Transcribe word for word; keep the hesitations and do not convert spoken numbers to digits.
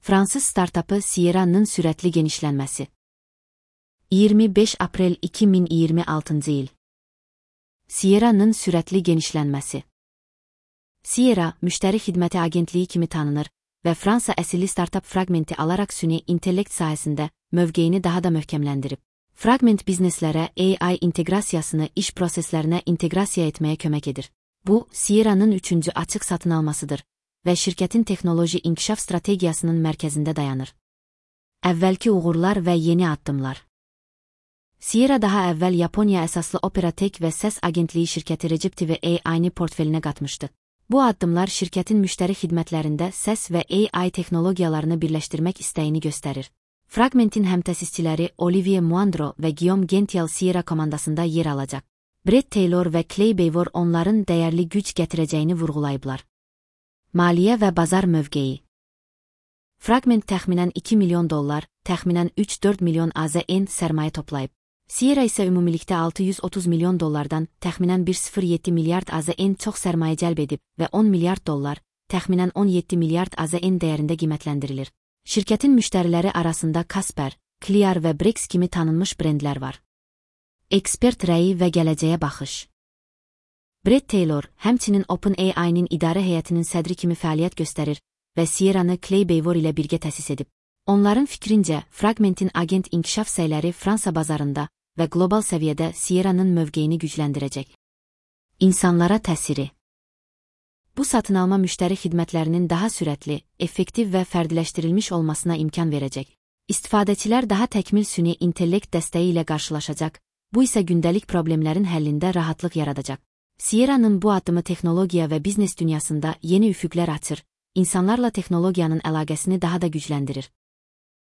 Fransız startapı Sierra'nın süratli genişlenmesi. iyirmi beş April iki min iyirmi altıncı yıl. Sierra'nın süratli genişlenmesi. Sierra, müşteri hizmeti agentliği kimi tanınır ve Fransa əsilli startup Fragment'i alarak süni intellekt sayesinde mövqeyini daha da möhkemlendirib. Fragment bizneslere A I integrasiyasını iş proseslerine integrasiya etmeye kömək edir. Bu, Sierra'nın üçüncü açıq satın almasıdır və şirkətin texnoloji inkişaf strategiyasının mərkəzində dayanır. Əvvəlki uğurlar və yeni addımlar. Sierra daha əvvəl Yaponiya əsaslı Operatek və səs agentliyi şirkəti Recep T V A I-ni portfelinə qatmışdı. Bu addımlar şirkətin müştəri xidmətlərində səs və A I texnologiyalarını birləşdirmək istəyini göstərir. Fragment'in həmtəsisçiləri Olivier Muandro və Guillaume Gential Sierra komandasında yer alacaq. Brett Taylor və Clay Bavor onların dəyərli güc gətirəcəyini vurğulayıblar. Maliyyə və bazar mövqeyi. Fragment təxminən iki milyon dollar, təxminən üç dörd milyon A Z N sərmayə toplayıb. Sierra isə ümumilikdə altı yüz otuz milyon dollardan təxminən bir nöqtə sıfır yeddi milyard A Z N çox sərmayə cəlb edib və on milyard dollar, təxminən on yeddi milyard A Z N dəyərində qiymətləndirilir. Şirkətin müştəriləri arasında Casper, Clear və Brex kimi tanınmış brendlər var. Ekspert rəyi və gələcəyə baxış. Brett Taylor, həmçinin OpenAI-nin idarə heyətinin sədri kimi fəaliyyət göstərir və Sierra'nı Clay Bavor ilə birgə təsis edib. Onların fikrincə, Fragment'in agent inkişaf səyləri Fransa bazarında və qlobal səviyyədə Sierra'nın mövqeyini gücləndirəcək. İnsanlara təsiri. Bu satın alma müştəri xidmətlərinin daha sürətli, effektiv və fərdiləşdirilmiş olmasına imkan verəcək. İstifadəçilər daha təkmil süni intellekt dəstəyi ilə qarşılaşacaq, bu isə gündəlik problemlərin həllində rahatlıq yaradacaq. Sierra'nın bu addımı texnologiya və biznes dünyasında yeni üfüqlər açır, insanlarla texnologiyanın əlaqəsini daha da gücləndirir.